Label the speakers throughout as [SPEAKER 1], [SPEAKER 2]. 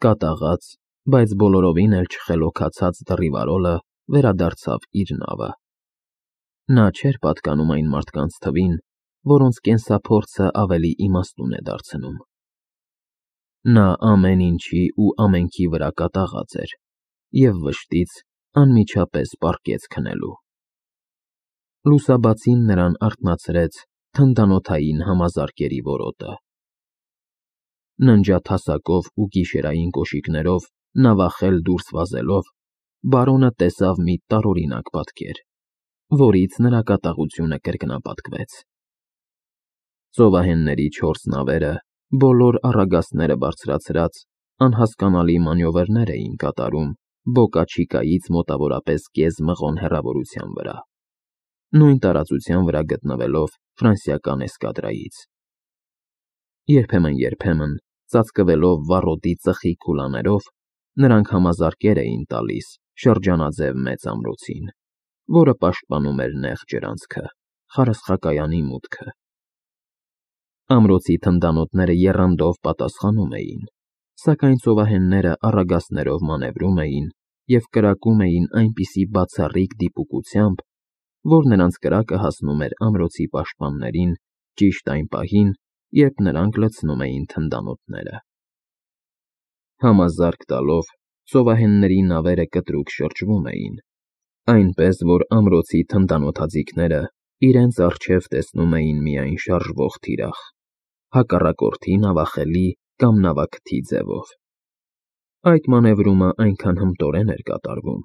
[SPEAKER 1] Կատաղած, բայց բոլորովին էլ չխելոքացած դռիվարոլը վերադարձավ իր նավը։ Նա չէր պատկանում այն մարդկանց թվին, որոնց կենսափորձը ավելի իմաստուն է դարձնում։ Նա ամեն ինչի ու ամենքի վրա կատաղած էր և վշտից անմիջապես պառկեց քնելու։ Լուսաբացին նրան արթնացրեց թնդանոթային համազարկերի որոտը։ Ննջաթասակով ու գիշերային կոշիկներով նավախել դուրս վազելով, բարոնը տեսավ մի տարօրինակ պատկեր, որից նրա կատաղությունը կրկնապատկվեց։ Ծովահենների 4 նավերը, բոլոր առագաստները բարձրացրած, անհասկանալի մանևրներ էին կատարում Բոկա-Չիկայից մոտավորապես կես մղոն հեռավորության վրա, նույն տարածության վրա գտնվելով ֆրանսիական էսկադրայից։ Երբեմն, ծածկվելով վառոդի ծխի քուլաներով, նրանք համազարկեր էին տալիս շրջանաձև մեծ ամրոցին, որը պաշտպանում էր նեղ ջրանցքը, խարսխակայանի մուտքը։ Ամրոցի թնդանոթները եռանդով պատասխանում էին, սակայն ծովահենները առագաստներով մանևրում էին և կրակում էին այնպիսի բացառիկ դիպուկությամբ, որ նրանց կրակը հասնում էր ամրոցի պաշտպաններին ճիշտ այն պահին, երբ նրանք լցնում էին թնդանոթները։ Համազարկ տալով, ծովահենների նավերը կտրուկ շրջվում էին, այնպես որ ամրոցի թնդանոթաձիգները իրենց առջև տեսնում էին միայն շարժվող թիրախ, հակառակորդի նավախելի կամ նավաքթի ձևով։ Այդ մանևրումը այնքան հմտորեն էր կատարվում,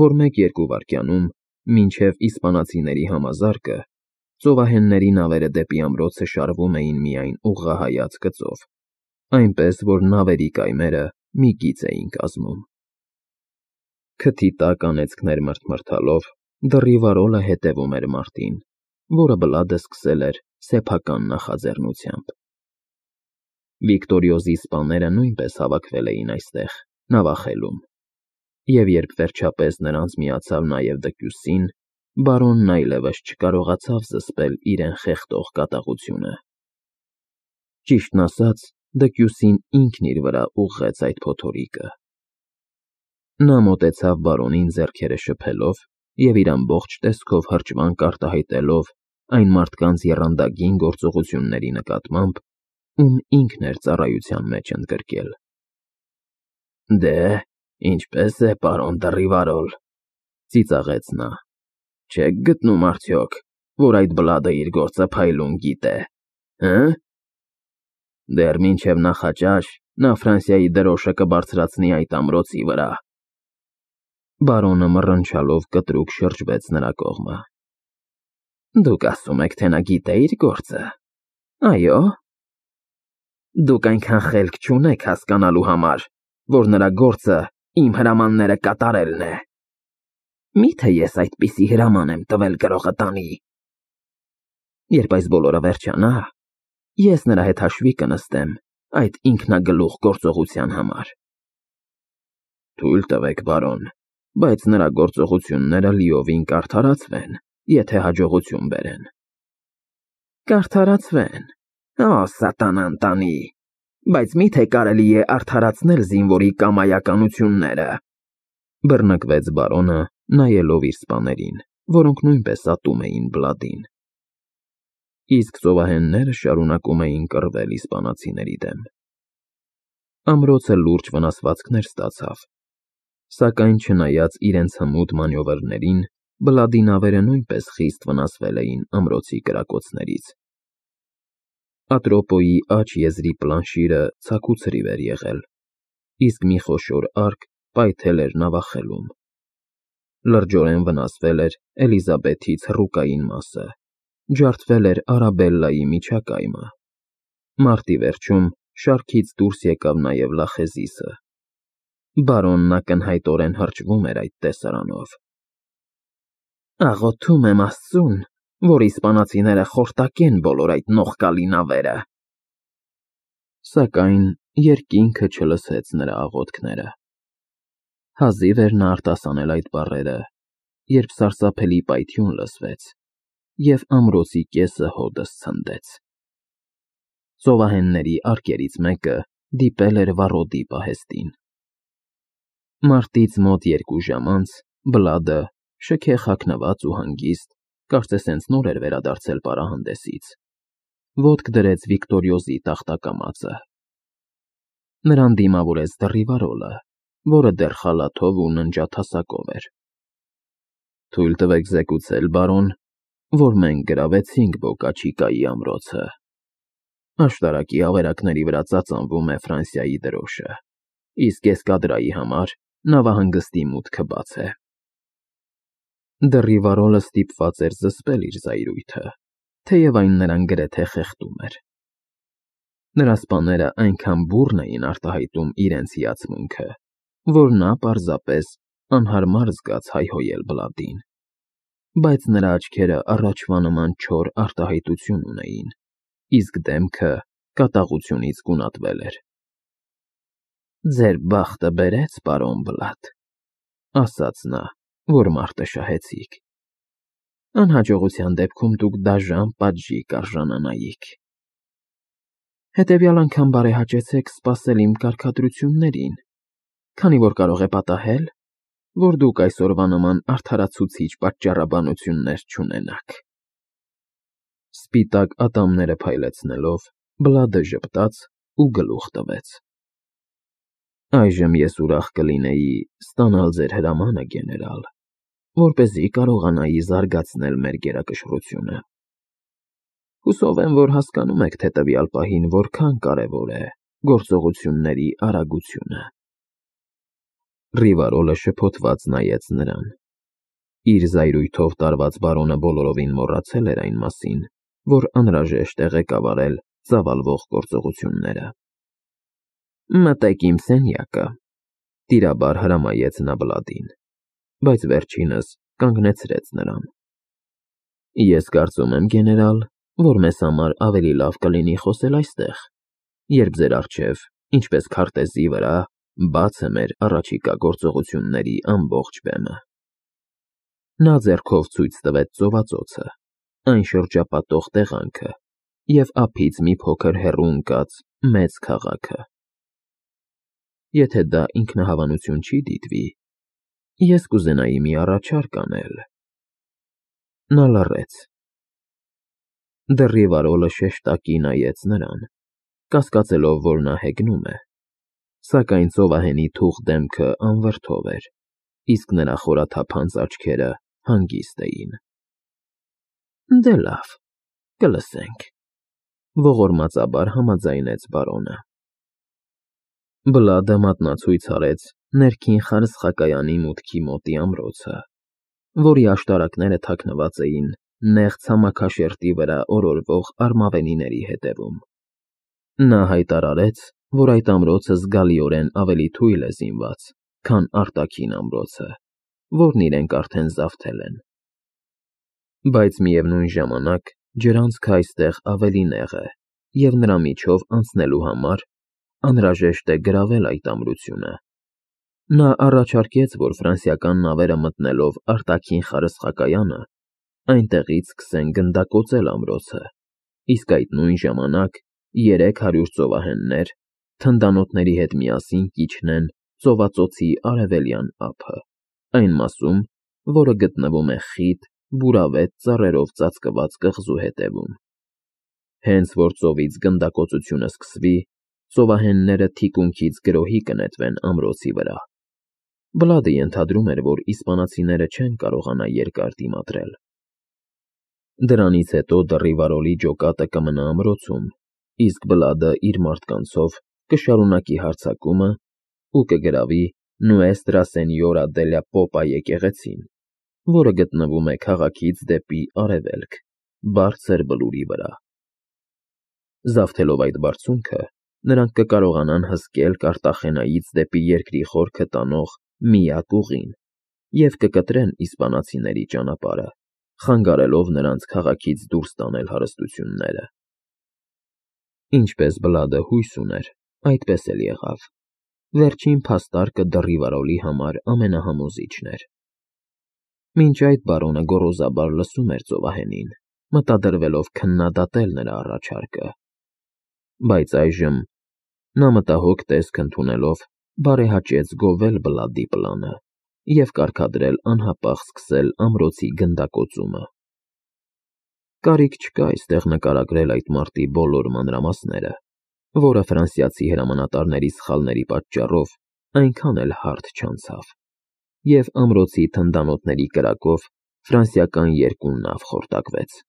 [SPEAKER 1] որ 1-2 վայրկյանում, մինչև իսպանացիների համազարկը, ծովահենների նավերը դեպի ամրոցը շարվում էին միայն ուղղահայաց գծով, այնպես որ նավերի կայմերը մի գիծ էին կազմում։ Քթի տակ անեծքներ մրթմրթալով, դռիվարոլը հետևում էր մարտին, որը բլադը սկսել էր սեփական նախաձեռնությամբ։ Վիկտորիոզի սպաները նույնպես հավաքվել էին այստեղ, նավախելում, և երբ վերջապես նրանց միացավ նաև Դեկյուսին, բարոնն այլևս չկարողացավ զսպել իրեն խեղդող կատաղությունը։ Ճիշտն ասած, Դեկյուսին ինքն իր վրա ուղղեց այդ փոթորիկը։ Նա մոտեցավ բարոնին ձեռքերը շփելով և իր ամբողջ տեսքով հրճվանք արտահայտելով այն մարդկանց եռանդագին գործողությունների նկատմամբ, ում ինքն էր ծառայության մեջ ընդգրկել։ «Դե, ինչպե՞ս է, պարոն դռիվարոլ,» ծիծաղեց նա։ «Չեք գտնում արդյոք, որ այդ բլադը իր գործը փայլուն գիտե, հը՞։ Դեռ մինչև նախաճաշ նա Ֆրանսիայի դրոշը կբարձրացնի այդ ամրոցի վրա»։ Բարոնը մռնչալով կտրուկ շրջվեց նրա կողմը։ «Դուք ասում եք, թե նա գիտե իր գործը, այո՞։ Դուք այնքան խելք չունեք հասկանալու համար, որ նրա գործը իմ հրամանները կատարելն է։ Մի՞թե ես այդպիսի հրաման եմ տվել գրողը տանի։ Երբ այս բոլորը վերջանա, ես նրա հետ հաշվի կնստեմ այդ ինքնագլուխ գործողության համար»։ «Թույլ տվեք, բարոն, բայց նրա գործողությունները լիովին կարդարացվեն, եթե հաջողություն բերեն»։ «Կարդարացվեն, օ սատանան տանի, բայց մի՞թե կարելի է արդարացնել զինվորի կամայականությունները», բռնկվեց բարոնը, նայելով իր սպաներին, որոնք նույնպես ատում էին բլադին։ Իսկ ծովահենները շարունակում էին կռվել իսպանացիների դեմ։ Ամրոցը լուրջ վնասվածքներ ստացավ, սակայն չնայած իրենց հմուտ մանևրներին, բլադի նավերը նույնպես խիստ վնասվել էին ամրոցի կրակոցներից։ Ատրոպոյի աջ եզրի պլանշիրը ցաքուցրիվ էր եղել, իսկ մի խոշոր արկ պայթել էր նավախելում։ Լրջորեն վնասվել էր Էլիզաբեթի ցռուկային մասը, ջարդվել էր Արաբելլայի միջակայմը։ Մարտի վերջում շարքից դուրս եկավ նաև լախեզիսը։ Բարոնն ակնհայտորեն հրճվում էր այդ տեսարանով։ «Աղոթում եմ Աստծուն, որ իսպանացիները խորտակեն բոլոր այդ նողկալի նավերը»։ Սակայն երկինքը չլսեց նրա աղոթքները։ Հազիվ էր նա արտասանել այդ բառերը, երբ սարսափելի պայթյուն լսվեց, և ամրոցի կեսը հօդս ցնդեց։ Ծովահենների արկերից մեկը դիպել էր վառոդի պահեստին։ Մարտից մոտ 2 ժամ անց Բլադը, շքեղ հագնված ու հանգիստ, կարծես հենց նոր էր վերադարձել պարահանդեսից, ոտք դրեց Վիկտորիոզի տախտակամածը։ Նրան դիմավորեց դռիվարոլը, որը դեռ խալաթով ու ննջաթասակով էր։ «Թույլ տվեք զեկուցել, բարոն, որ մենք գրավեցինք Բոկաչիկայի ամրոցը։ Աշտարակի ավերակների վրա ծածանվում է Ֆրանսիայի դրոշը, իսկ էսկադրայի համար նավահանգստի մուտքը բաց է»։ Դռիվարոլը ստիպված էր զսպել իր զայրույթը, թեև այն նրան գրեթե խեղդում էր։ Նրա սպաները այնքան բուռն էին արտահայտում իրենց հիացմունքը, որ նա պարզապես անհարմար զգաց հայհոյել Բլադին, բայց նրա աչքերը առաջվա նման չոր արտահայտություն ունեին, իսկ դեմքը կատաղությունից գունատվել էր։ «Ձեր բախտը բերեց, պարոն Բլադ», ասաց նա, որ մարտը շահեցիք։ «Անհաջողության դեպքում դուք դաժան պատժի կարժանանայիք։ Հետևյալ անգամ բարեհաճեցեք սպասել իմ կարգադրություններին, քանի որ կարող է պատահել, որ դուք այսօրվա նման արդարացուցիչ պատճառաբանություններ չունենաք»։ Սպիտակ ատամները փայլեցնելով, Բլադը ժպտաց ու գլուխ տվեց։ «Այժմ ես ուրախ կլինեի ստանալ ձեր հրամանը, գեներալ, որպեսզի կարողանայի զարգացնել մեր գերակշռությունը։ Հուսով եմ, որ հասկանում եք, թե տվյալ պահին որքան կարևոր է գործողությունների արագությունը»։ Ռիվարոլը շփոթված նայեց նրան։ Իր զայրույթով տարված բարոնը բոլորովին մոռացել էր այն մասին, որ անհրաժեշտ է ղեկավարել ծավալվող գործողությունները։ «Մտեք իմ սենյակը», տիրաբար հրամայեց նա Բլադին, բայց վերջինս կանգնեցրեց նրան։ «Ես կարծում եմ, գեներալ, որ մեզ համար ավելի լավ կլինի խոսել այստեղ, երբ ձեր առջև, ինչպես քարտեզի վրա, բաց է մեր առաջիկա գործողությունների ամբողջ բեմը»։ Նա ձեռքով ցույց տվեց ծովածոցը, այն շրջապատող տեղանքը և ափից մի փոքր հեռու ընկած մեծ քաղաքը։ «Եթե դա ինքնահավանություն չի դիտվի, ես կուզենայի մի առաջարկ անել»։ Նա լռեց։ Դռիվարոլը շեշտակի նայեց նրան, կասկածելով, որ նա հեգնում է, սակայն ծովահենի թուխ դեմքը անվրդով էր, իսկ նրա խորաթափանց աչքերը հանգիստ էին։ «Դե լավ, կլսենք», ողորմածաբար համաձայնեց բարոնը։ Բլադը մատնացույց արեց ներքին խարսխակայանի մուտքի մոտի ամրոցը, որի աշտարակները թաքնված էին նեղ ցամաքաշերտի վրա օրորվող արմավենիների հետևում։ Նա հայտարարեց, որ այդ ամրոցը զգալիորեն ավելի թույլ է զինված, քան արտաքին ամրոցը, որն իրենք արդեն զավթել են։ Բայց միևնույն ժամանակ ջրանցքը այստեղ ավելի նեղ է, և նրա միջով անցնելու համար անհրաժեշտ է գրավել այդ ամրությունը։ Նա առաջարկեց, որ ֆրանսիական նավերը մտնելով արտաքին խարսխակայանը, այնտեղից սկսեն գնդակոծել ամրոցը, իսկ այդ նույն ժամանակ 300 ծովահեններ թնդանոթների հետ միասին կիջնեն ծովածոցի արևելյան ափը, այն մասում, որը գտնվում է խիտ, բուրավետ ծառերով ծածկված կղզու հետևում։ Հենց որ ծովից գնդակոծությունը սկսվի, ծովահենները թիկունքից գրոհի կնետվեն ամրոցի վրա։ Բլադը ենթադրում էր, որ իսպանացիները չեն կարողանա երկար դիմադրել։ Դրանից հետո դռիվարոլի ջոկատը կմնա ամրոցում, իսկ Բլադը իր մարդկանցով կշարունակի հարձակումը ու կգրավի Nuestra Señora de la Popa եկեղեցին, որը գտնվում է քաղաքից դեպի արևելք, բարձր բլուրի վրա։ Զավթելով այդ բարձունքը, նրանք կկարողանան հսկել Կարտախենայից դեպի երկրի խորքը տանող միակ ուղին և կկտրեն իսպանացիների ճանապարհը, խանգարելով նրանց քաղաքից դուրս տանել հարստությունները։ Ինչպես Բլադը հույս ուներ, այդպես էլ եղավ։ Վերջին փաստարկը դռիվարոլի համար ամենահամոզիչն էր։ Մինչ այդ բարոնը գոռոզաբար լսում էր ծովահենին, մտադրվելով քննադատել նրա առաջարկը։ Բայց այժմ Նա մտահոգ տեսք ընդունելով բարեհաճեց գովել Բլադի պլանը և կարգադրել անհապաղ սկսել ամրոցի գնդակոծումը։ Կարիք չկա այստեղ նկարագրել այդ մարտի բոլոր մանրամասները, որը ֆրանսիացի հրամանատարների սխալների պատճառով այնքան էլ հարթ չանցավ, և ամրոցի թնդանոթների կրակով ֆրանսիական երկու նավ խորտակվեց։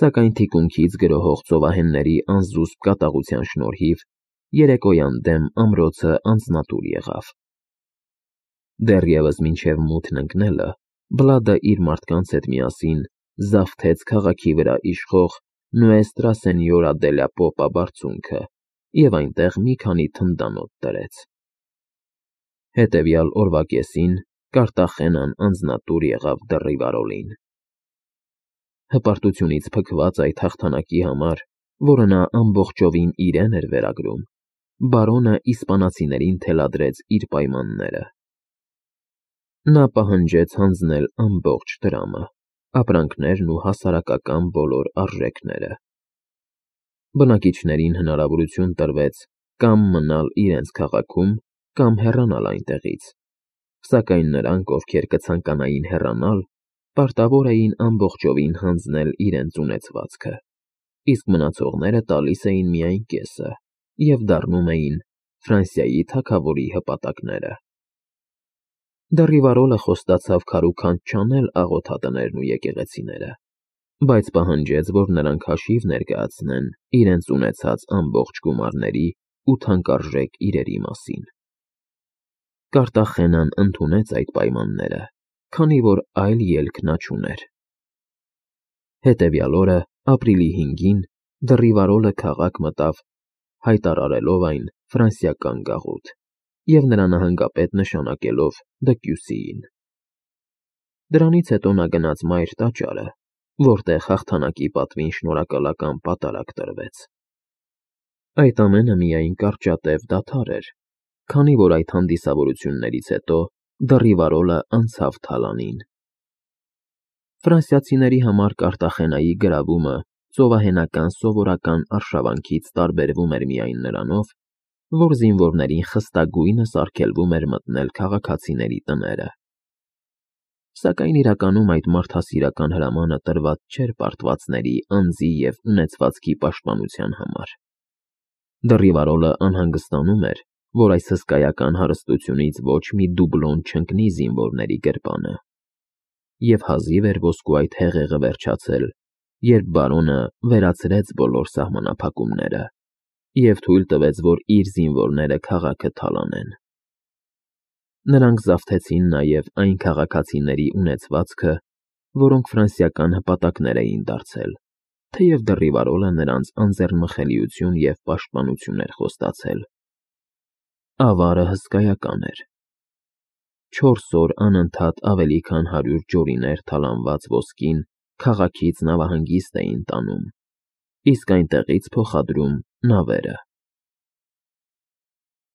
[SPEAKER 1] Սակայն թիկունքից գրոհող ծովահենների անզուսպ կատաղության շնորհիվ երեկոյան դեմ ամրոցը անձնատուր եղավ։ Դեռևս մինչև մութն ընկնելը Բլադը իր մարդկանց հետ միասին զավթեց քաղաքի վրա իշխող Նուեստրա Սենյորա դե լա Պոպա բարձունքը և այնտեղ մի քանի թնդանոթ դրեց։ Հետևյալ օրվա կեսին Կարտախենան անձնատուր եղավ Դեռիվարոլին։ Հպարտությունից փքված այդ հաղթանակի համար, որը նա ամբողջովին իրեն էր վերագրում, բարոնը իսպանացիներին թելադրեց իր պայմանները։ Նա պահանջեց հանձնել ամբողջ դրամը, ապրանքներն ու հասարակական բոլոր արժեքները։ Բնակիչներին հնարավորություն տրվեց կամ մնալ իրենց քաղաքում, կամ հեռանալ այնտեղից, սակայն նրանք, ովքեր կցանկանային հեռանալ, պարտավոր էին ամբողջովին հանձնել իրենց ունեցվածքը, իսկ մնացողները տալիս էին միայն կեսը և դառնում էին Ֆրանսիայի թագավորի հպատակները։ Դեռիվարոլը խոստացավ քարուքանդ չանել աղոթատներն ու եկեղեցիները, բայց պահանջեց, որ նրանք հաշիվ ներկայացնեն իրենց ունեցած ամբողջ գումարների ու թանկարժեք իրերի մասին։ Կարտախենան ընդունեց այդ պայմանները, քանի որ այլ ելք նա չուներ։ Հետևյալ օրը, ապրիլի 5-ին, Դեռիվարոլը քաղաք մտավ, հայտարարելով այն ֆրանսիական գաղութ և նրա նահանգապետ նշանակելով Դկյուսիին։ Դրանից հետո նա գնաց Մայր տաճարը, որտեղ հաղթանակի պատվին շնորհակալական պատարագ տրվեց։ Այդ ամենը միայն կարճատև դադար էր, քանի որ այդ հանդիսավորություններից հետո Դեռիվարոլը անցավ Թալանին։ Ֆրանսիացիների համար Կարտախենայի գրավումը ծովահենական սովորական արշավանքից տարբերվում էր միայն նրանով, որ զինվորներին խստագույնս արգելվում էր մտնել քաղաքացիների տները։ Սակայն իրականում այդ մարդասիրական հրամանը տրված չէր պարտվածների, անձի և ունեցվածքի պաշտպանության համար։ Դեռիվարոլը անհանգստանում էր, որ այս հսկայական հարստությունից ոչ մի դուբլոն չընկնի զինվորների գրպանը, և հազիվ էր ոսկու այդ հեղեղը վերջացել, երբ բարոնը վերացրեց բոլոր սահմանափակումները և թույլ տվեց, որ իր զինվորները քաղաքը թալանեն։ Նրանք զավթեցին նաև այն քաղաքացիների ունեցվածքը, որոնք ֆրանսիական հպատակներ էին դարձել, թեև Դեռիվարոլը նրանց անձեռնմխելիություն և պաշտպանություն էր խոստացել։ Ավարը հսկայական էր։ 4 օր անընդհատ ավելի քան 100 ջորիներ թալանված ոսկին քաղաքից նավահանգիստ էին տանում, իսկ այնտեղից փոխադրում նավերը։